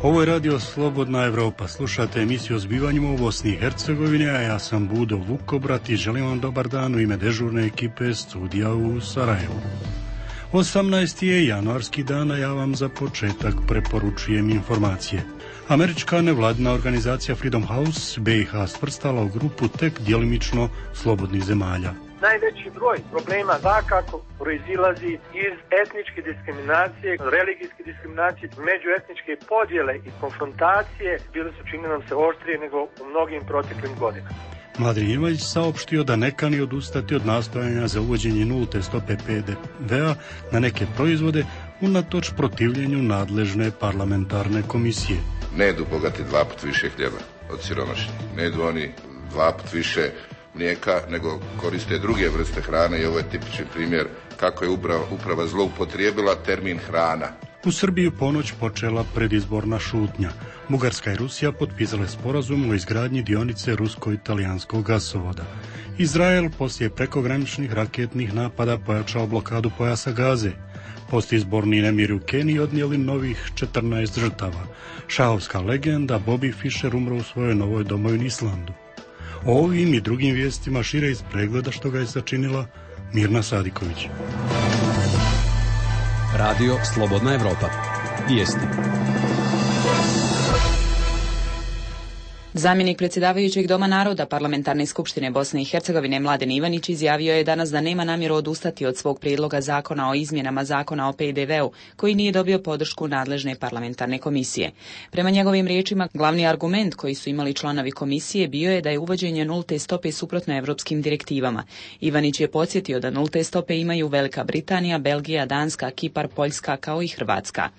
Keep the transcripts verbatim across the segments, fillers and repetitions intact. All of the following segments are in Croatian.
Ovo je radio Slobodna Evropa. Slušate emisiju o zbivanjima u Bosni i Hercegovini, a ja sam Budo Vukobrat i želim vam dobar dan u ime dežurne ekipe studija u Sarajevu. osamnaesti je januarski dan, a ja vam za početak preporučujem informacije. Američka nevladina organizacija Freedom House B i H svrstala u grupu tek djelimično slobodnih zemalja. Najveći broj problema svakako proizilazi iz etničke diskriminacije, religijske diskriminacije, međuetničke podjele i konfrontacije bile su, čini nam se, oštrije nego u mnogim proteklim godinama. Mladen Ivajić saopštio da ne kani odustati od nastojanja za uvođenje nulte stope P D V-a na neke proizvode unatoč protivljenju nadležne parlamentarne komisije. Ne jedu bogati dva put više hljeba od siromašnih. Ne jedu oni dva put više mlijeka, nego koriste druge vrste hrane i ovo je tipični primjer kako je uprava, uprava zloupotrijebila termin hrana. U Srbiji ponoć počela predizborna šutnja. Bugarska i Rusija potpisale sporazum o izgradnji dionice rusko-italijanskog gasovoda. Izrael poslije prekograničnih raketnih napada pojačao blokadu pojasa Gaze. Postizborni nemiri u Keniji odnijeli novih četrnaest žrtava. Šahovska legenda Bobby Fischer umro u svojoj novoj domovini Islandu. O ovim i drugim vijestima šire iz pregleda što ga je sačinila Mirna Sadiković. Radio Slobodna Evropa. Vijesti. Zamjenik predsjedavajućeg Doma naroda Parlamentarne skupštine Bosne i Hercegovine Mladen Ivanić izjavio je danas da nema namjeru odustati od svog prijedloga zakona o izmjenama zakona o P D V-u, koji nije dobio podršku nadležne parlamentarne komisije. Prema njegovim riječima, glavni argument koji su imali članovi komisije bio je da je uvođenje nulte stope suprotno evropskim direktivama. Ivanić je podsjetio da nulte stope imaju Velika Britanija, Belgija, Danska, Kipar, Poljska kao i Hrvatska.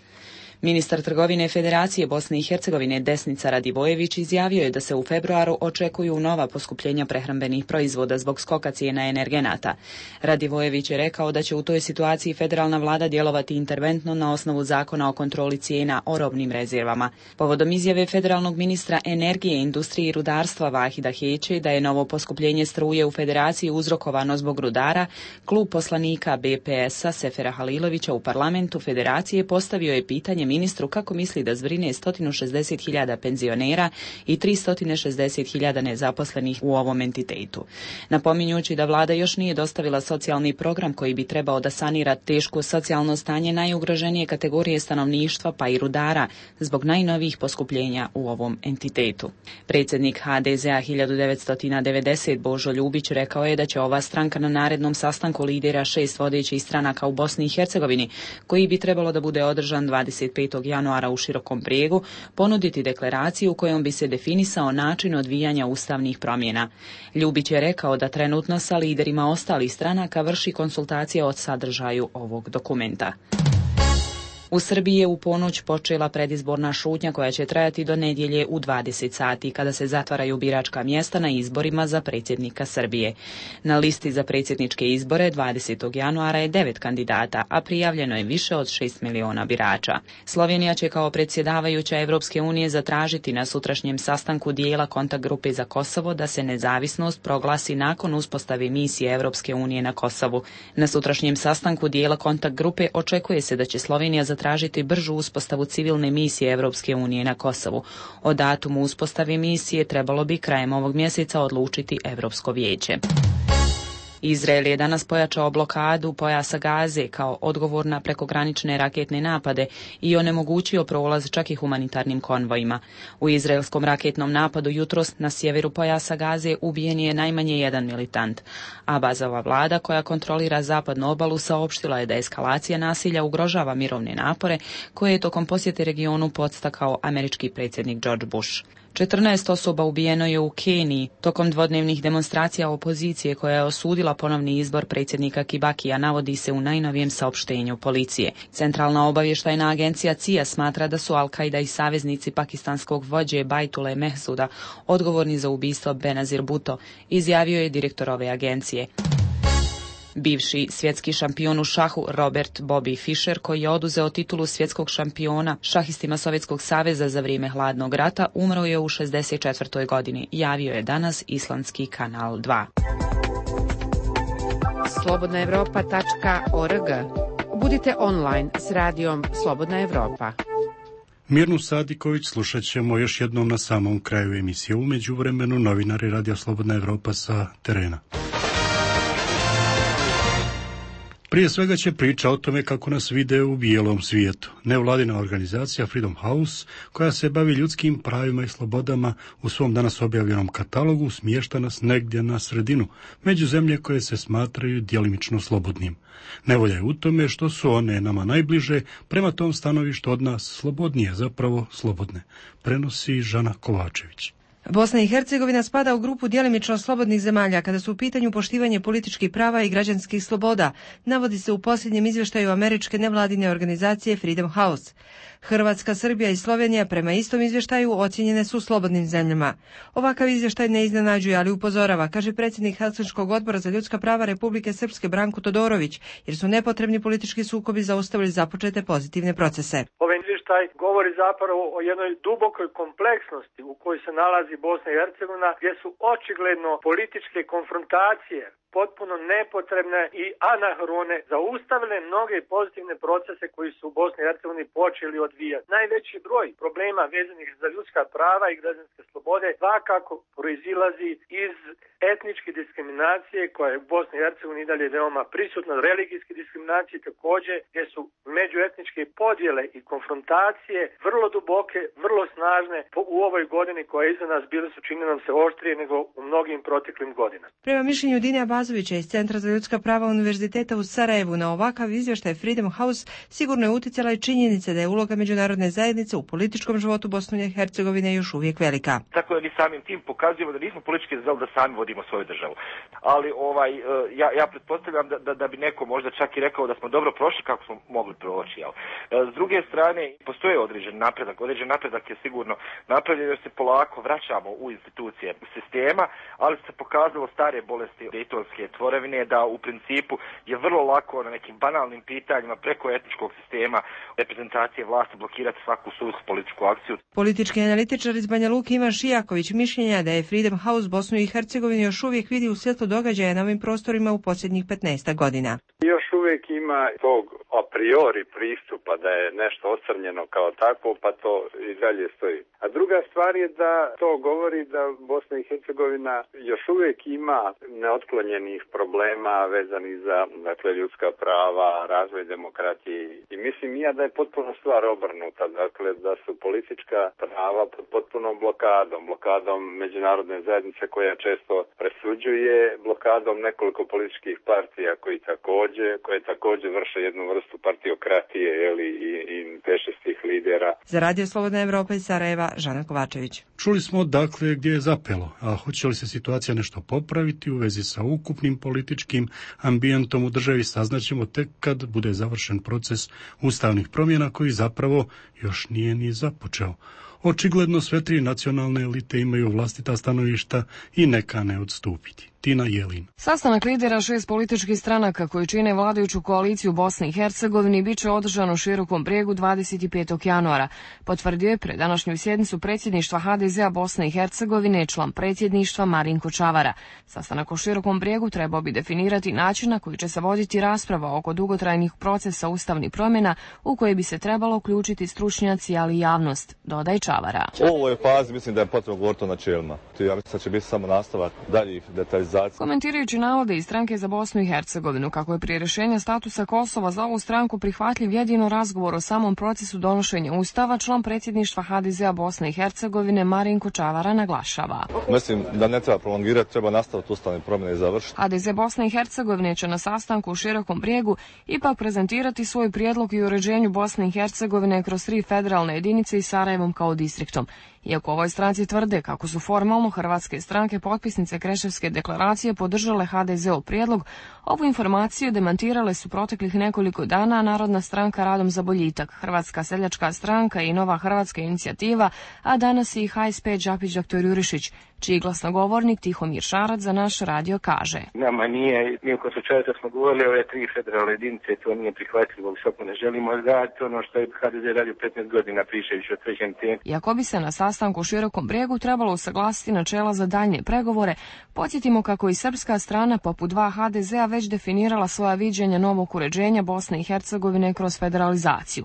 Ministar trgovine Federacije Bosne i Hercegovine Desnica Radivojević izjavio je da se u februaru očekuju nova poskupljenja prehrambenih proizvoda zbog skoka cijena energenata. Radivojević je rekao da će u toj situaciji federalna vlada djelovati interventno na osnovu zakona o kontroli cijena o robnim rezervama. Povodom izjave federalnog ministra energije, industrije i rudarstva Vahida Heće da je novo poskupljenje struje u Federaciji uzrokovano zbog rudara, klub poslanika B P S-a Sefera Halilovića u parlamentu Federacije postavio je pitanje ministru kako misli da zbrine sto šezdeset hiljada penzionera i tristo šezdeset hiljada nezaposlenih u ovom entitetu. Napominjući da vlada još nije dostavila socijalni program koji bi trebao da sanira teško socijalno stanje najugroženije kategorije stanovništva pa i rudara zbog najnovijih poskupljenja u ovom entitetu. Predsjednik H D Z-a hiljadu devetsto devedeset Božo Ljubić rekao je da će ova stranka na narednom sastanku lidera šest vodećih stranaka u Bosni i Hercegovini, koji bi trebalo da bude održan dvadeset petog januara u Širokom Brijegu, ponuditi deklaraciju kojom bi se definisao način odvijanja ustavnih promjena. Ljubić je rekao da trenutno sa liderima ostalih stranaka vrši konsultacije o sadržaju ovog dokumenta. U Srbiji je u ponoć počela predizborna šutnja koja će trajati do nedjelje u dvadeset sati, kada se zatvaraju biračka mjesta na izborima za predsjednika Srbije. Na listi za predsjedničke izbore dvadesetog januara je devet kandidata, a prijavljeno je više od šest miliona birača. Slovenija će kao predsjedavajuća Evropske unije zatražiti na sutrašnjem sastanku dijela kontakt grupe za Kosovo da se nezavisnost proglasi nakon uspostave misije Evropske unije na Kosovu. Na sutrašnjem sastanku dijela kontakt grupe očekuje se da će Slovenija zatražiti tražiti bržu uspostavu civilne misije Evropske unije na Kosovu. O datumu uspostave misije trebalo bi krajem ovog mjeseca odlučiti Evropsko vijeće. Izrael je danas pojačao blokadu pojasa Gaze kao odgovor na prekogranične raketne napade i onemogućio prolaz čak i humanitarnim konvojima. U izraelskom raketnom napadu jutros na sjeveru pojasa Gaze ubijen je najmanje jedan militant. Abazova vlada, koja kontrolira zapadnu obalu, saopštila je da eskalacija nasilja ugrožava mirovne napore koje je tokom posjete regionu podstakao američki predsjednik George Bush. četrnaest osoba ubijeno je u Keniji tokom dvodnevnih demonstracija opozicije koja je osudila ponovni izbor predsjednika Kibakija, navodi se u najnovijem saopštenju policije. Centralna obavještajna agencija C I A smatra da su Al-Qaida i saveznici pakistanskog vođe Baitule Mehsuda odgovorni za ubistvo Benazir Bhutto, izjavio je direktor ove agencije. Bivši svjetski šampion u šahu Robert Bobby Fischer, koji je oduzeo titulu svjetskog šampiona šahistima Sovjetskog saveza za vrijeme hladnog rata, umro je u šezdeset četvrtoj godini, javio je danas islandski kanal dva. slobodna evropa tačka org. Budite online s radijom Slobodna Evropa. Mirnu Sadiković slušat ćemo još jednom na samom kraju emisije. U međuvremenu novinari Radio Slobodna Evropa sa terena. Prije svega će priča o tome kako nas vide u bijelom svijetu. Nevladina organizacija Freedom House, koja se bavi ljudskim pravima i slobodama, u svom danas objavljenom katalogu smješta nas negdje na sredinu, među zemlje koje se smatraju djelimično slobodnim. Nevolja je u tome što su one nama najbliže, prema tom stanovištu od nas slobodnije, zapravo slobodne, prenosi Žana Kovačević. Bosna i Hercegovina spada u grupu djelimično slobodnih zemalja kada su u pitanju poštivanje političkih prava i građanskih sloboda, navodi se u posljednjem izvještaju američke nevladine organizacije Freedom House. Hrvatska, Srbija i Slovenija prema istom izvještaju ocijenjene su slobodnim zemljama. Ovakav izvještaj ne iznenađuje, ali upozorava, kaže predsjednik Helsinškog odbora za ljudska prava Republike Srpske Branko Todorović, jer su nepotrebni politički sukobi zaustavili započete pozitivne procese. Ovaj izvještaj govori zapravo o jednoj dubokoj kompleksnosti u kojoj se nalazi Bosna i Hercegovina, gdje su očigledno političke konfrontacije potpuno nepotrebne i anahrone zaustavile mnoge pozitivne procese koji su u Bosni i Hercegovini počeli odvijati. Najveći broj problema vezanih za ljudska prava i građanske slobode svakako proizilazi iz etničke diskriminacije koja je u Bosni i Hercegovini i dalje veoma prisutna, religijske diskriminacije također, gdje su međuetničke podjele i konfrontacije vrlo duboke, vrlo snažne u ovoj godini koja je iza nas, bile su, čini nam se, oštrije nego u mnogim proteklim godinama. Prema mišljenju Dinija Bazovića iz Centra za ljudska prava Univerziteta u Sarajevu, na ovakav izvještaj Freedom House sigurno je utjecala i činjenica da je uloga međunarodne zajednice u političkom životu Bosne i Hercegovine još uvijek velika. Tako da mi samim tim pokazujemo da nismo politički zreli da sami vodimo svoju državu. Ali ovaj, ja, ja pretpostavljam da, da, da bi neko možda čak i rekao da smo dobro prošli kako smo mogli proći. Jel? S druge strane, postoje određen napredak. Određen napredak je sigurno napravljen jer se polako vraćamo u institucije sistema, ali se pokazalo stare bolesti dejtonske tvorevine da u principu je vrlo lako na nekim banalnim pitanjima preko etničkog sistema reprezentacije vlasti blokirati svaku suvislu političku akciju. Politički analitičar iz Banja Luke Ivan Šijaković mišljenja da je Freedom House Bosnu i Hercegovinu još uvijek vidi u svjetlu događaja na ovim prostorima u posljednjih petnaest godina. Još uvijek ima tog a priori pristupa da je nešto ocrnjeno kao takvo, pa to i dalje stoji. A druga stvar je da to govori da Bosna i Hercegovina još uvijek ima neotklonjenih problema vezanih za, dakle, ljudska prava, razvoj demokratije. I mislim ja da je potpuno stvar obrnuta, dakle da su politička prava pod potpunom blokadom, blokadom međunarodne zajednice koja često presuđuje, blokadom nekoliko političkih partija koji također, koje također vrše jednu vrstu partiokratije, jeli, i, i pešestih lidera. Za Radio Slobodna Evropa iz Sarajeva, Žana Kovačević. Čuli smo dakle gdje je zapelo, a hoće li se situacija nešto popraviti u vezi sa ukupnim političkim ambijentom u državi, saznaćemo tek kad bude završen proces ustavnih promjena koji zapravo još nije ni započeo. Očigledno sve tri nacionalne elite imaju vlastita stanovišta i neka ne odstupiti. Tina Jelin. Sastanak lidera šest političkih stranaka koji čine vladajuću koaliciju Bosne i Hercegovini bit će održan u Širokom Brijegu dvadeset petog januara. Potvrdio je pred današnju sjednicu predsjedništva ha de zea Bosne i Hercegovine član predsjedništva Marinko Čavara. Sastanak u Širokom Brijegu trebao bi definirati način na koji će se voditi rasprava oko dugotrajnih procesa ustavnih promjena u koje bi se trebalo uključiti stručnjaci, ali i javnost, dodaje Čavara. U ovoj fazi mislim da je potrebno govoriti o načelima. Ja mislim da će biti samo nastavak daljih detaljizacija. Komentirajući navode iz stranke za Bosnu i Hercegovinu kako je prije rješenja statusa Kosova za ovu stranku prihvatljiv jedino razgovor o samom procesu donošenja ustava, član predsjedništva ha de zea Bosne i Hercegovine Marinko Čavara naglašava. Mislim da ne treba prolongirati, treba nastaviti ustavne promjene i završiti. ha de ze Bosne i Hercegovine će na sastanku u Širokom Brijegu ipak prezentirati svoj prijedlog i uređenju Bosne i Hercegovine kroz tri federalne jedinice i Sarajevom kao distriktom. Iako ovoj stranci tvrde kako su formalno hrvatske stranke potpisnice Kreševske deklaracije podržale ha de zeov prijedlog, ovu informaciju demantirale su proteklih nekoliko dana Narodna stranka Radom za boljitak, Hrvatska seljačka stranka i Nova hrvatska inicijativa, a danas i ha es pe Đapić doktor Jurišić, čiji glasnogovornik Tihomir Šarac za naš radio kaže. Nama nije, mi oko slučaja smo govorili o ove tri federalne jedinice, to nije prihvatljivo, visoko ne želimo raditi ono što je ha de ze radio petnaest godina pričajući o trećem temu. Iako bi se na sastanku u Širokom Brijegu trebalo usaglasiti načela za daljnje pregovore, podsjetimo kako i srpska strana poput dva ha de zea već definirala svoja viđenja novog uređenja Bosne i Hercegovine kroz federalizaciju.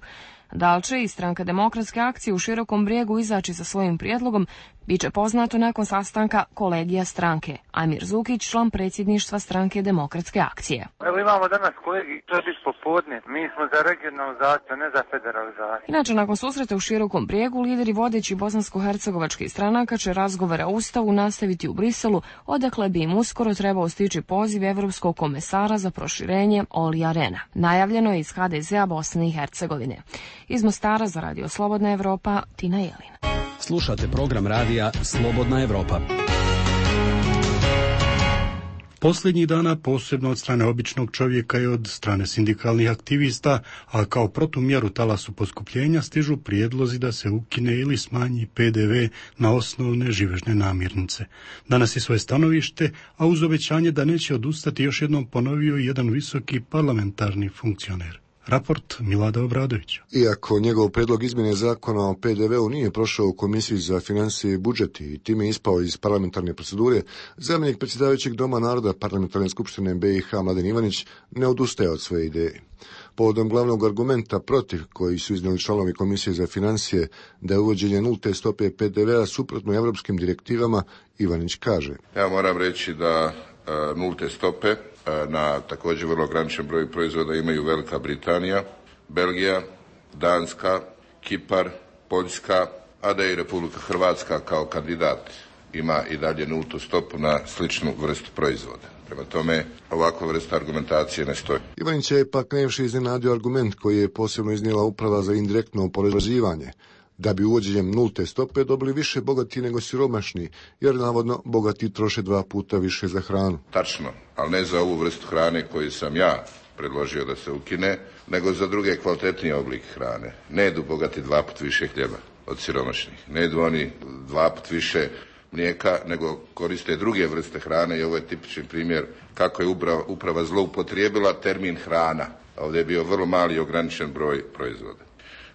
Da li će i Stranka demokratske akcije u Širokom Brijegu izaći sa svojim prijedlogom, bit će poznato nakon sastanka kolegija stranke. Amir Zukić, član predsjedništva Stranke demokratske akcije. Evo imamo danas kolegi, to je biti popodne. Mi smo za regionalizaciju, ne za federalizaciju. Inače, nakon susreta u Širokom Brijegu, lideri vodeći bosansko-hercegovačkih stranaka će razgovore o Ustavu nastaviti u Briselu, odakle bi im uskoro trebao stići poziv Evropskog komesara za proširenje Olija Rehna. Najavljeno je iz ha de zea Bosne i Hercegovine. Iz Mostara za Radio Slobodna Evropa, Tina Jelin. Slušate program radija Slobodna Evropa. Posljednjih dana, posebno od strane običnog čovjeka i od strane sindikalnih aktivista, a kao protumjeru talasu poskupljenja, stižu prijedlozi da se ukine ili smanji pe de ve na osnovne živežne namirnice. Danas je svoje stanovište, a uz obećanje da neće odustati, još jednom ponovio jedan visoki parlamentarni funkcioner. Raport Milada Obradovića. Iako njegov predlog izmjene zakona o pe de veu nije prošao u Komisiji za financije i budžet i time ispao iz parlamentarne procedure, zamjenik predsjedavajućeg Doma naroda Parlamentarne skupštine be i ha Mladen Ivanić ne odustaje od svoje ideje. Povodom glavnog argumenta protiv koji su iznijeli članovi Komisije za financije da je uvođenje nulte stope pe de vea suprotno evropskim direktivama, Ivanić kaže: Ja moram reći da e, nulte stope na također vrlo ograničen broj proizvoda imaju Velika Britanija, Belgija, Danska, Kipar, Poljska, a da i Republika Hrvatska kao kandidat ima i dalje nultu stopu na sličnu vrstu proizvoda. Prema tome, ovakva vrsta argumentacije ne stoji. Ivanić je pak najviše iznenadio argument koji je posebno iznijela Uprava za indirektno oporezivanje, da bi uvođenjem nulte stope dobili više bogati nego siromašni, jer navodno bogati troše dva puta više za hranu. Tačno, ali ne za ovu vrstu hrane koju sam ja predložio da se ukine, nego za druge kvalitetnije oblike hrane. Ne jedu bogati dva put više hljeba od siromašnih. Ne jedu oni dva put više mlijeka, nego koriste druge vrste hrane i ovo je tipični primjer kako je uprava, uprava zloupotrijebila termin hrana. Ovdje je bio vrlo mali i ograničen broj proizvoda.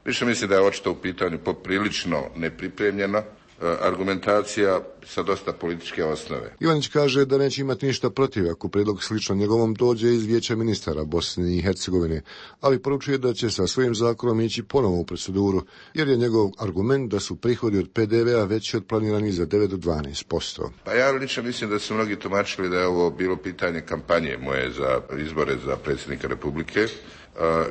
Više mislim da je očito u pitanju poprilično nepripremljena argumentacija sa dosta političke osnove. Ivanić kaže da neće imati ništa protiv ako predlog slično njegovom dođe iz Vijeća ministara Bosne i Hercegovine, ali poručuje da će sa svojim zakonom ići ponovo u proceduru, jer je njegov argument da su prihodi od pe de vea veći od planiranih za devet do dvanaest posto. Pa ja lično mislim da su mnogi tumačili da je ovo bilo pitanje kampanje moje za izbore za predsjednika Republike.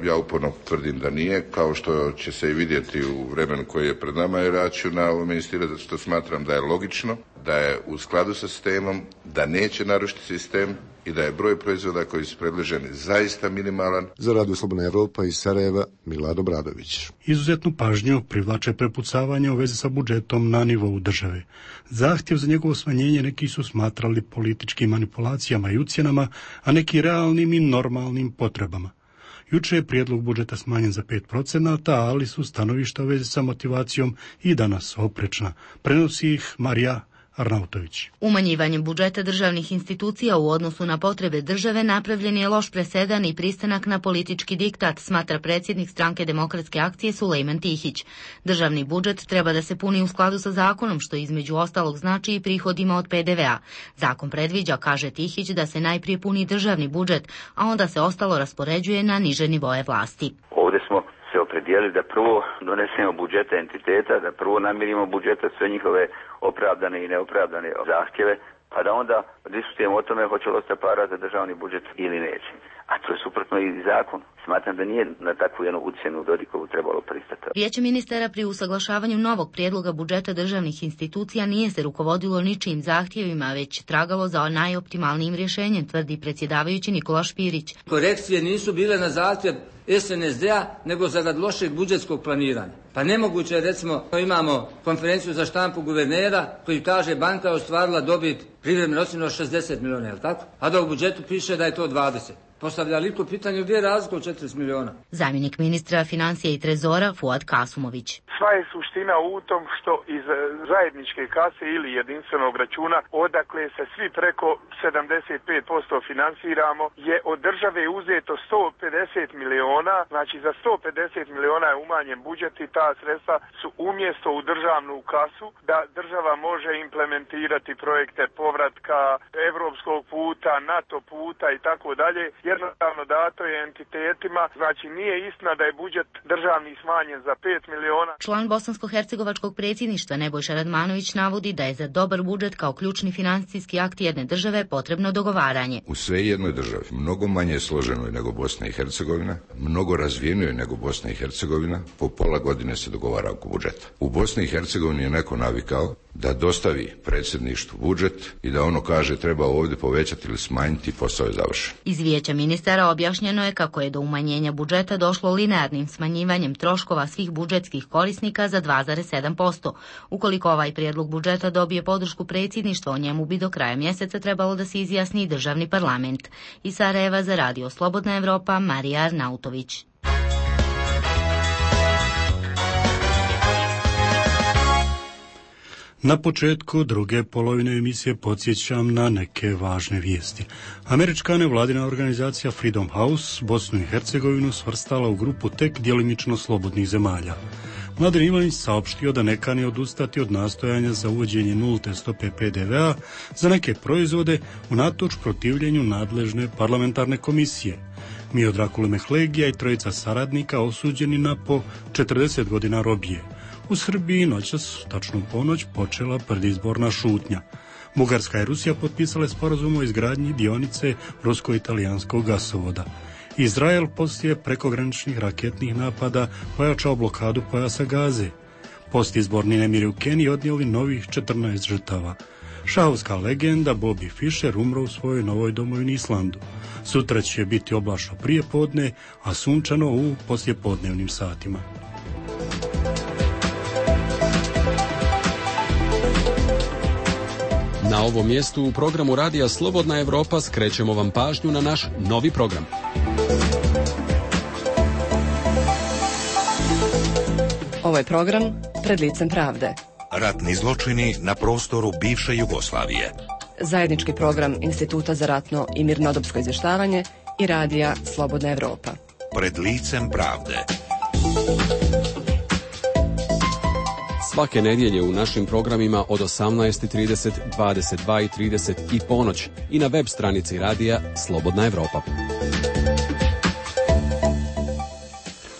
Ja uporno tvrdim da nije, kao što će se i vidjeti u vremenu koje je pred nama, jer ja ću na ovome insistirati zato što smatram da je logično, da je u skladu sa sistemom, da neće narušiti sistem i da je broj proizvoda koji su predloženi zaista minimalan. Za Radio Slobodna Evropa iz Sarajeva, Milad Obradović. Izuzetnu pažnju privlače prepucavanje u vezi sa budžetom na nivou države. Zahtjev za njegovo smanjenje neki su smatrali političkim manipulacijama i ucjenama, a neki realnim i normalnim potrebama. Juče je prijedlog budžeta smanjen za pet procenata, ali su stanovišta u vezi sa motivacijom i danas oprečna. Prenosi ih Marija Arnautović. Umanjivanjem budžeta državnih institucija u odnosu na potrebe države napravljen je loš presedan i pristanak na politički diktat, smatra predsjednik Stranke demokratske akcije Sulejman Tihić. Državni budžet treba da se puni u skladu sa zakonom, što između ostalog znači i prihodima od pe de vea. Zakon predviđa, kaže Tihić, da se najprije puni državni budžet, a onda se ostalo raspoređuje na niže nivoe vlasti. Ovdje smo se opredijelili da prvo donesemo budžete entiteta, da prvo namirimo budžeta sve njihove opravdane i neopravdane zahtjeve, pa da onda diskutujemo o tome hoće li ostati para za državni budžet ili neće. A to je suprotno i zakon. Smatram da nije na takvu jednu ucjenu Dodikovu trebalo pristati. Vijeće ministara pri usaglašavanju novog prijedloga budžeta državnih institucija nije se rukovodilo ničijim zahtjevima, već tragalo za najoptimalnijim rješenjem, tvrdi predsjedavajući Nikola Špirić. Korekcije nisu bile na zahtjev es en es de a, nego zarad lošeg budžetskog planiranja. Pa nemoguće je, recimo, imamo konferenciju za štampu guvernera koji kaže banka je ostvarila dobit privremeno ocjenu od šezdeset milijuna, je li tako? A da u budžetu piše da je to dvadeset. Postavlja li to pitanje gdje je razlika od četrdeset milijuna? Zamjenik ministra financija i trezora Fuad Kasumović. Sva je suština u tom što iz zajedničke kase ili jedinstvenog računa, odakle se svi preko sedamdeset pet posto finansiramo, je od države uzeto sto pedeset miliona, znači za sto pedeset miliona je umanjen budžet i ta sredstva su umjesto u državnu kasu da država može implementirati projekte povratka evropskog puta, NATO puta i tako dalje. jednostavno dato je entitetima, znači nije istina da je budžet državni smanjen za pet miliona. Član bosansko-hercegovačkog predsjedništva Nebojša Radmanović navodi da je za dobar budžet kao ključni financijski akt jedne države potrebno dogovaranje. U sve jednoj državi, mnogo manje složenoj nego Bosna i Hercegovina, mnogo razvijenoj nego Bosna i Hercegovina, po pola godine se dogovara oko budžeta. U Bosni i Hercegovini je neko navikao da dostavi predsjedništvu budžet i da ono kaže treba ovdje povećati ili smanjiti, posao je završen. Iz vijeća ministara objašnjeno je kako je do umanjenja budžeta došlo linearnim smanjivanjem troškova svih budžetskih korisnika za dva zarez sedam posto. Ukoliko ovaj prijedlog budžeta dobije podršku predsjedništva, o njemu bi do kraja mjeseca trebalo da se izjasni državni parlament. Iz Sarajeva za Radio Slobodna Evropa, Marija Arnautović. Na početku druge polovine emisije podsjećam na neke važne vijesti. Američka nevladina organizacija Freedom House Bosnu i Hercegovinu svrstala u grupu tek djelimično slobodnih zemalja. Mladen Ivanić saopštio da ne kani odustati od nastojanja za uvođenje nulte stope pe de ve a za neke proizvode unatoč protivljenju nadležne parlamentarne komisije. Miodrag Kulmehlegija i trojica saradnika osuđeni na po četrdeset godina robije. U Srbiji noćas, tačno u ponoć, počela predizborna šutnja. Bugarska i Rusija potpisale sporazum o izgradnji dionice rusko-italijanskog gasovoda. Izrael poslije prekograničnih raketnih napada pojačao blokadu pojasa Gaze. Postizborni nemiri u Keniji odnijeli novih četrnaest žrtava. Šahovska legenda Bobby Fischer umro u svojoj novoj domovini Islandu. Sutra će biti oblačno prije podne, a sunčano u poslijepodnevnim satima. Na ovom mjestu u programu Radija Slobodna Evropa skrećemo vam pažnju na naš novi program. Ovo je program Pred licem pravde. Ratni zločini na prostoru bivše Jugoslavije. Zajednički program Instituta za ratno i mirnodopsko izvještavanje i Radija Slobodna Evropa. Pred licem pravde. Svake nedjelje u našim programima od osamnaest i trideset, dvadeset dva i trideset i ponoć i na web stranici Radija Slobodna Evropa.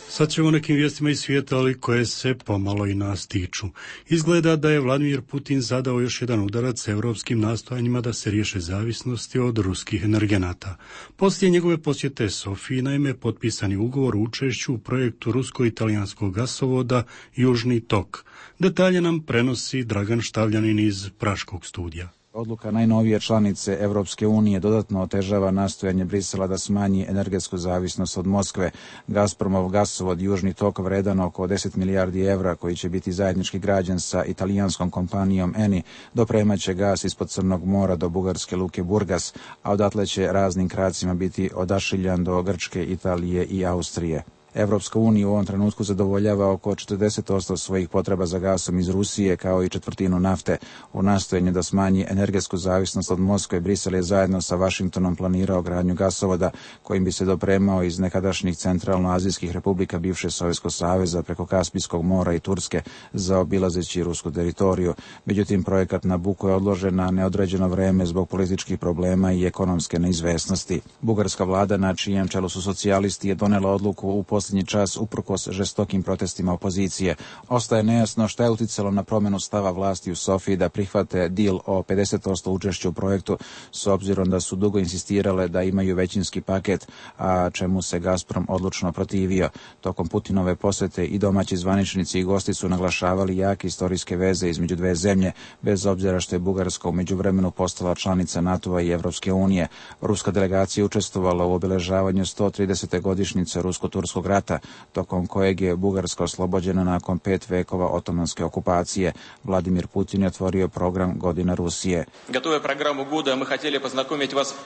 Sad ćemo nekim vijestima iz svijeta, ali koje se pomalo i nas tiču. Izgleda da je Vladimir Putin zadao još jedan udarac europskim nastojanjima da se riješe zavisnosti od ruskih energenata. Poslije njegove posjete Sofiji, naime, potpisani ugovor o učešću u projektu rusko-italijanskog gasovoda Južni tok. Detalje nam prenosi Dragan Štavljanin iz Praškog studija. Odluka najnovije članice Evropske unije dodatno otežava nastojanje Brisela da smanji energetsku zavisnost od Moskve. Gazpromov gasovod Južni tok vredan oko deset milijardi evra, koji će biti zajednički građen sa italijanskom kompanijom Eni, dopremaće gas ispod Crnog mora do bugarske luke Burgas, a odatle će raznim kracima biti odašiljan do Grčke, Italije i Austrije. Evropska unija u ovom trenutku zadovoljava oko četrdeset posto svojih potreba za gasom iz Rusije, kao i četvrtinu nafte. U nastojanju da smanji energetsku zavisnost od Moskve, Brisel je zajedno sa Vašingtonom planirao gradnju gasovoda kojim bi se dopremao iz nekadašnjih centralnoazijskih republika bivše Sovjetskog saveza preko Kaspijskog mora i Turske, zaobilazeći rusku teritoriju. Međutim, projekat Nabucco je odložen na neodređeno vreme zbog političkih problema i ekonomske neizvesnosti. Bugarska vlada, na čijem čelu su socijalisti, je donela odluku u posljednji čas uprkos žestokim protestima opozicije. Ostaje nejasno šta je uticalo na promjenu stava vlasti u Sofiji da prihvate deal o pedeset posto učešća u projektu, s obzirom da su dugo insistirale da imaju većinski paket, a čemu se Gazprom odlučno protivio. Tokom Putinove posjete i domaći zvaničnici i gosti su naglašavali jake historijske veze između dve zemlje, bez obzira što je Bugarska u međuvremenu postala članica NATO-a i Evropske unije. Ruska delegacija učestvovala u obeležavanju sto tridesete godišnjice rusko-turskog rata, tokom kojeg je Bugarska oslobođena nakon pet vekova otomanske okupacije. Vladimir Putin je otvorio program Godina Rusije.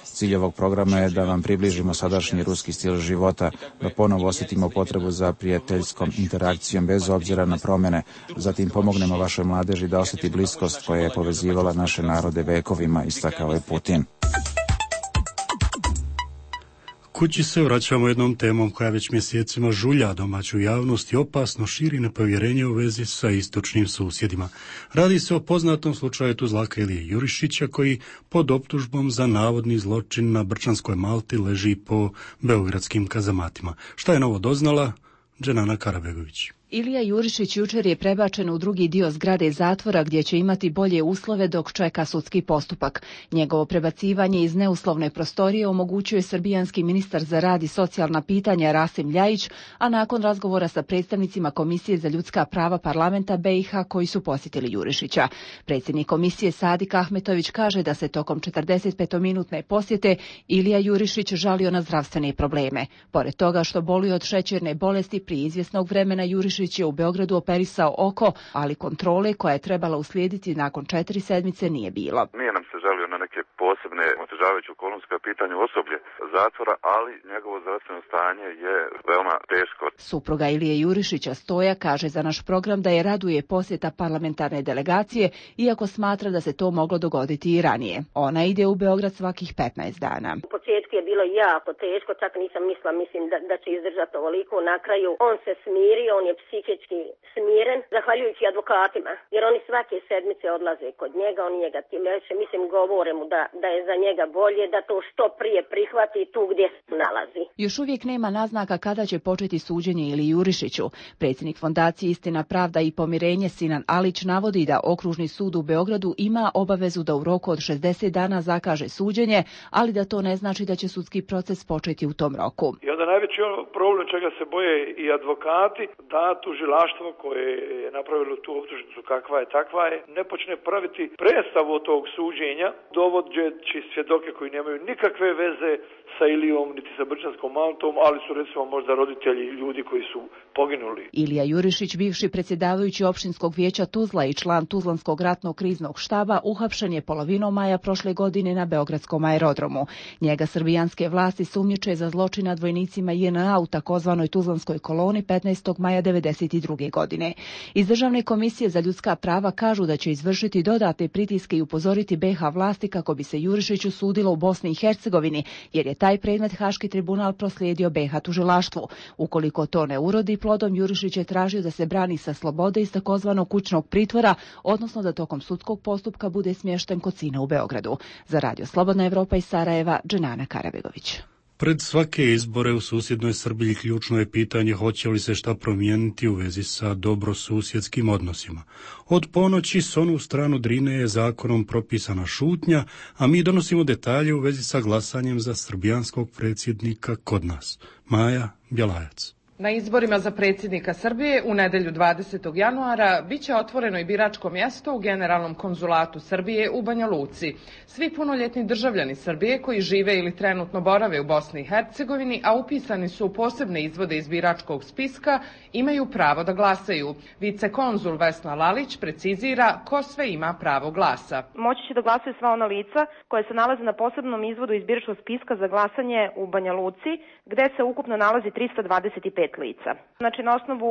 Cilj ovog programa je da vam približimo sadašnji ruski stil života, da ponovo osjetimo potrebu za prijateljskom interakcijom bez obzira na promjene. Zatim pomognemo vašoj mladeži da osjeti bliskost koja je povezivala naše narode vekovima, istakao je Putin. Kući se vraćamo jednom temom koja već mjesecima žulja domaću javnost i opasno širi nepovjerenje u vezi sa istočnim susjedima. Radi se o poznatom slučaju Tuzlaka Ilije Jurišića koji pod optužbom za navodni zločin na Brčanskoj Malti leži po beogradskim kazamatima. Šta je novo doznala? Dženana Karabegović. Ilija Jurišić jučer je prebačen u drugi dio zgrade zatvora gdje će imati bolje uslove dok čeka sudski postupak. Njegovo prebacivanje iz neuslovne prostorije omogućuje srbijanski ministar za rad i socijalna pitanja Rasim Ljajić, a nakon razgovora sa predstavnicima Komisije za ljudska prava parlamenta B i H koji su posjetili Jurišića. Predsjednik komisije Sadik Ahmetović kaže da se tokom četrdesetpetominutne posjete Ilija Jurišić žalio na zdravstvene probleme. Pored toga što boli od šećerne bolesti, prije izvjesnog vremena Jurišić je u Beogradu operisao oko, ali kontrole koja je trebala uslijediti nakon četiri sedmice nije bilo. Nije nam se žalio na neke posebne otežavajuće okolnosti kao pitanje osoblje zatvora, ali njegovo zdravstveno stanje je veoma teško. Supruga Ilije Jurišića Stoja kaže za naš program da je raduje posjeta parlamentarne delegacije, iako smatra da se to moglo dogoditi i ranije. Ona ide u Beograd svakih petnaest dana. U početku je bilo jako teško, čak nisam mislila, mislim da, da će izdržati ovoliko. Na kraju on se smirio, on je psihički smiren, zahvaljujući advokatima, jer oni svake sedmice odlaze kod njega, oni njega tim veće, mislim, govore mu da, da je za njega bolje, da to što prije prihvati tu gdje se nalazi. Još uvijek nema naznaka kada će početi suđenje Iliji Jurišiću. Predsjednik fondacije Istina, pravda i pomirenje Sinan Alić navodi da Okružni sud u Beogradu ima obavezu da u roku od šezdeset dana zakaže suđenje, ali da to ne znači da će sudski proces početi u tom roku. I onda najveći problem čega se boje i advokati, da tužilaštvo koje je napravilo tu optužnicu kakva je takva je, ne počne praviti predstavu od tog suđenja, dovodeći svjedoke koji nemaju nikakve veze sa Ilijom niti sa Brčanskom Maltom, ali su recimo možda roditelji ljudi koji su poginuli. Ilija Jurišić, bivši predsjedavajući opštinskog vijeća Tuzla i član Tuzlanskog ratnog kriznog štaba, uhapšen je polovinom maja prošle godine na beogradskom aerodromu. Njega srbijanske vlasti sumnjiče za zločin nad vojnicima J N A u takozvanoj Tuzlanskoj koloni petnaestog maja devedeset druge godine. Iz Državne komisije za ljudska prava kažu da će izvršiti dodatne pritiske i upozoriti B H vlasti kako bi se Jurišiću sudilo u Bosni i Hercegovini, jer je taj predmet Haški tribunal proslijedio B H tužilaštvu. Ukoliko to ne urodi plodom, Jurišić je tražio da se brani sa slobode iz takozvanog kućnog pritvora, odnosno da tokom sudskog postupka bude smješten kod sina u Beogradu. Za Radio Slobodna Evropa iz Sarajeva, Dženana Karabegović. Pred svake izbore u susjednoj Srbiji ključno je pitanje hoće li se šta promijeniti u vezi sa dobrosusjedskim odnosima. Od ponoći s onu stranu Drine je zakonom propisana šutnja, a mi donosimo detalje u vezi sa glasanjem za srbijanskog predsjednika kod nas. Maja Bjelajac. Na izborima za predsjednika Srbije u nedjelju dvadesetog januara bit će otvoreno i biračko mjesto u Generalnom konzulatu Srbije u Banja Luci. Svi punoljetni državljani Srbije koji žive ili trenutno borave u Bosni i Hercegovini, a upisani su u posebne izvode iz biračkog spiska, imaju pravo da glasaju. Vicekonzul Vesna Lalić precizira ko sve ima pravo glasa. Moći će da glasaju sva ona lica koje se nalaze na posebnom izvodu iz biračkog spiska za glasanje u Banja Luci, gde se ukupno nalazi trista dvadeset pet lica. Znači, na osnovu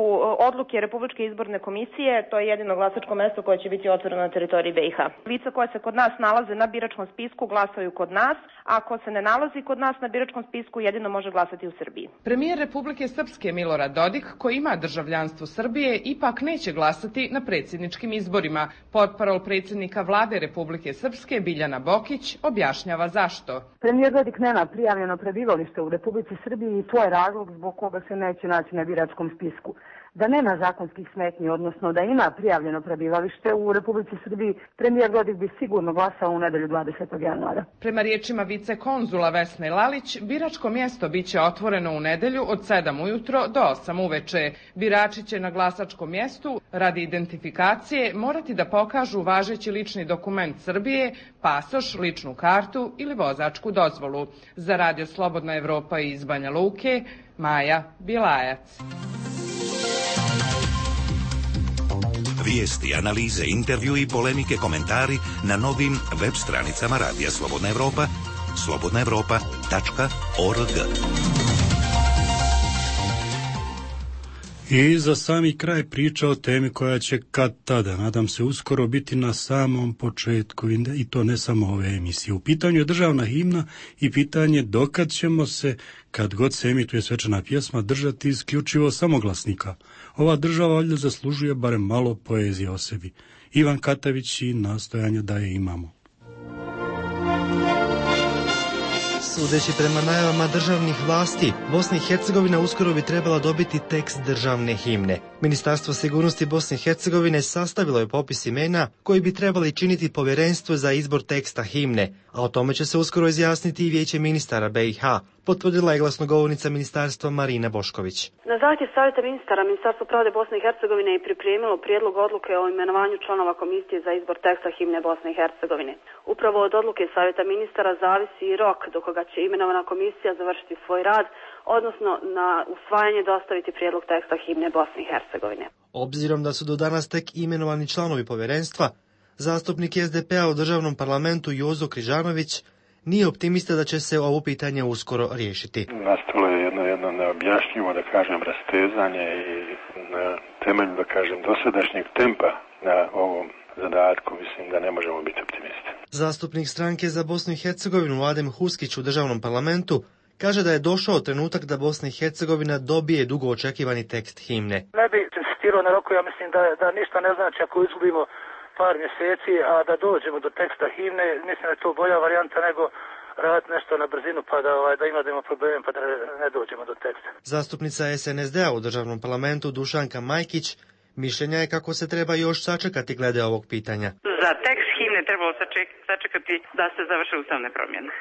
odluke Republičke izborne komisije, to je jedino glasačko mjesto koje će biti otvoreno na teritoriji B i H. Lica koja se kod nas nalaze na biračkom spisku glasaju kod nas, a ako se ne nalazi kod nas na biračkom spisku, jedino može glasati u Srbiji. Premijer Republike Srpske Milorad Dodik, koji ima državljanstvo Srbije, ipak neće glasati na predsjedničkim izborima. Portparol predsjednika vlade Republike Srpske Biljana Bokić objašnjava zašto. Premijer Dodik nema prijavljeno prebivalište u Republici Srbiji i to je razlog zbog koga se neće naći na biračkom spisku. Da nema zakonskih smetnji, odnosno da ima prijavljeno prebivalište u Republici Srbiji, premijer Dodik bi sigurno glasao u nedjelju dvadesetog januara. Prema riječima vicekonzula Vesne Lalić, biračko mjesto bit će otvoreno u nedjelju od sedam ujutro do osam uveče. Birači će na glasačkom mjestu radi identifikacije morati da pokažu važeći lični dokument Srbije, pasoš, ličnu kartu ili vozačku dozvolu. Za Radio Slobodna Evropa iz Banja Luke, Maja Bjelajac. Vijesti, analize, intervju i polemike, komentari na novim web stranicama Radija Slobodna Evropa, slobodna evropa tačka org. I za sami kraj priča o temi koja će kad tada, nadam se uskoro, biti na samom početku i to ne samo ove emisije. U pitanju je državna himna i pitanje dokad ćemo se, kad god se emituje svečana pjesma, držati isključivo samoglasnika. Ova država valjda zaslužuje barem malo poezije o sebi. Ivan Katavić i nastojanja da je imamo. Sudeći prema najavama državnih vlasti, Bosna i Hercegovina uskoro bi trebala dobiti tekst državne himne. Ministarstvo sigurnosti Bosne i Hercegovine sastavilo je popis imena koji bi trebali činiti povjerenstvo za izbor teksta himne, a o tome će se uskoro izjasniti i Vijeće ministara B i H, potvrdila je glasnogovornica ministarstva Marina Bošković. Na zahtjev Savjeta ministara, Ministarstvo pravde Bosne i Hercegovine je pripremilo prijedlog odluke o imenovanju članova komisije za izbor teksta himne Bosne i Hercegovine. Upravo od odluke Savjeta ministara zavisi i rok do koga će imenovana komisija završiti svoj rad, odnosno na usvajanje dostaviti prijedlog teksta himne Bosne i Hercegovine. Obzirom da su do danas tek imenovani članovi povjerenstva, zastupnik S D P-a u državnom parlamentu Jozo Križanović nije optimista da će se ovo pitanje uskoro riješiti. Nastalo je jedno, jedno neobjašnjivo, da kažem, rastezanje i na temelju, da kažem, dosadašnjeg tempa na ovom zadatku, mislim da ne možemo biti optimisti. Zastupnik stranke za Bosnu i Hercegovinu Adem Huskić u državnom parlamentu kaže da je došao trenutak da Bosna i Hercegovina dobije dugo očekivani tekst himne. Ne bi insistirao na roku, ja mislim da, da ništa ne znači ako izgubimo par mjeseci, a da dođemo do teksta himne, mislim da je to bolja varijanta nego raditi nešto na brzinu pa da, ovaj, da imamo problem pa da ne dođemo do teksta. Zastupnica S N S D-a u državnom parlamentu Dušanka Majkić mišljenja je kako se treba još sačekati glede ovog pitanja. Za tekst himne trebalo sačekati da se završe ustavne promjene.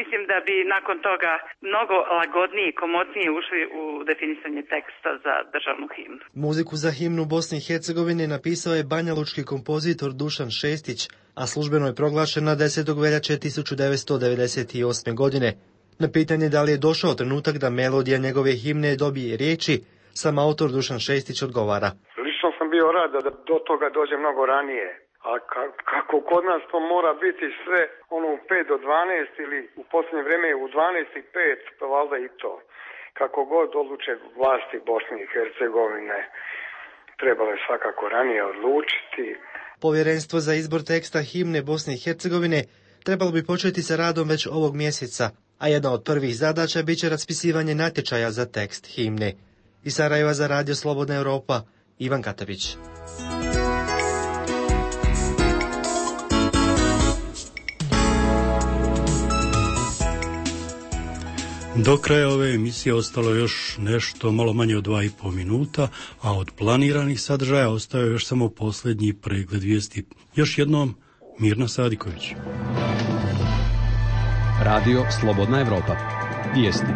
Mislim da bi nakon toga mnogo lagodnije i komotnije ušli u definisanje teksta za državnu himnu. Muziku za himnu Bosne i Hercegovine napisao je banjalučki kompozitor Dušan Šestić, a službeno je proglašena desetog veljače tisuću devetsto devedeset osme. godine. Na pitanje da li je došao trenutak da melodija njegove himne dobije riječi, sam autor Dušan Šestić odgovara. Lično sam bio rad da do toga dođe mnogo ranije. A kako kod nas to mora biti sve ono u pet do dvanaest ili u posljednje vrijeme u dvanaest i pet, pa valjda i to. Kako god odluče vlasti Bosne i Hercegovine, trebalo je svakako ranije odlučiti. Povjerenstvo za izbor teksta himne Bosne i Hercegovine trebalo bi početi sa radom već ovog mjeseca, a jedna od prvih zadaća bit će raspisivanje natječaja za tekst himne. Iz Sarajeva za Radio Slobodna Europa, Ivan Katavić. Do kraja ove emisije ostalo još nešto malo manje od dva i pol minuta, a od planiranih sadržaja ostao još samo posljednji pregled vijesti. Još jednom, Mirna Sadiković. Radio Slobodna Evropa. Vijesti.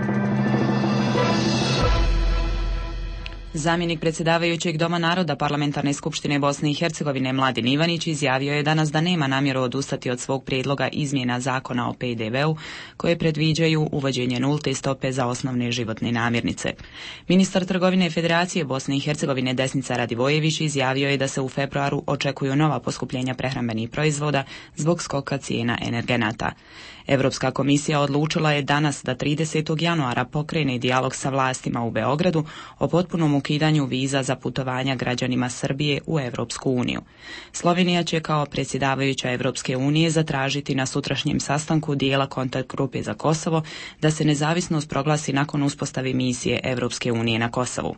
Zamjenik predsjedavajućeg Doma naroda Parlamentarne skupštine Bosne i Hercegovine Mladen Ivanić izjavio je danas da nema namjeru odustati od svog prijedloga izmjena zakona o P D V-u koje predviđaju uvođenje nulte stope za osnovne životne namirnice. Ministar trgovine Federacije Bosne i Hercegovine Desnica Radivojević izjavio je da se u februaru očekuju nova poskupljenja prehrambenih proizvoda zbog skoka cijena energenata. Europska komisija odlučila je danas da tridesetog januara pokrene dijalog sa vlastima u Beogradu o potpunom ukidanju viza za putovanja građanima Srbije u Europsku uniju. Slovenija će kao predsjedavajuća Europske unije zatražiti na sutrašnjem sastanku dijela kontakt grupe za Kosovo da se nezavisnost proglasi nakon uspostave misije Europske unije na Kosovu.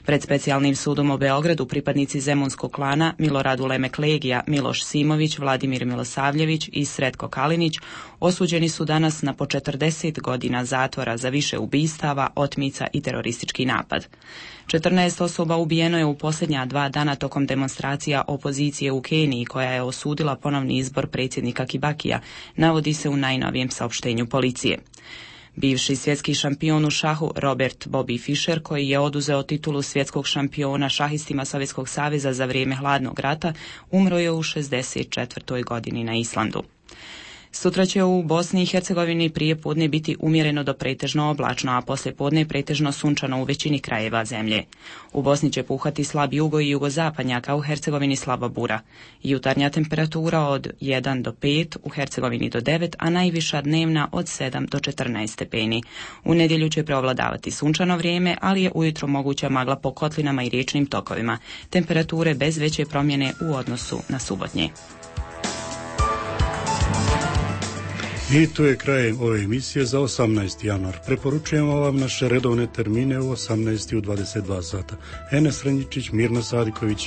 Pred specijalnim sudom u Beogradu pripadnici zemunskog klana Milorad Ulemek Legija, Miloš Simović, Vladimir Milosavljević i Sretko Kalinić osuđeni su danas na po četrdeset godina zatvora za više ubistava, otmica i teroristički napad. četrnaest osoba ubijeno je u posljednja dva dana tokom demonstracija opozicije u Keniji koja je osudila ponovni izbor predsjednika Kibakija, navodi se u najnovijem saopštenju policije. Bivši svjetski šampion u šahu Robert Bobby Fischer, koji je oduzeo titulu svjetskog šampiona šahistima Sovjetskog saveza za vrijeme hladnog rata, umro je u šezdeset četvrtoj godini na Islandu. Sutra će u Bosni i Hercegovini prije podne biti umjereno do pretežno oblačno, a poslije podne pretežno sunčano u većini krajeva zemlje. U Bosni će puhati slab jugo i jugozapadnjak, a u Hercegovini slaba bura. Jutarnja temperatura od jedan do pet, u Hercegovini do devet, a najviša dnevna od sedam do četrnaest stepeni. U nedjelju će preovladavati sunčano vrijeme, ali je ujutro moguća magla po kotlinama i riječnim tokovima. Temperature bez veće promjene u odnosu na subotnje. I to je kraj ove emisije za osamnaesti januar. Preporučujemo vam naše redovne termine u osamnaest i u dvadeset dva sata. Enes Renjičić, Mirna Sadiković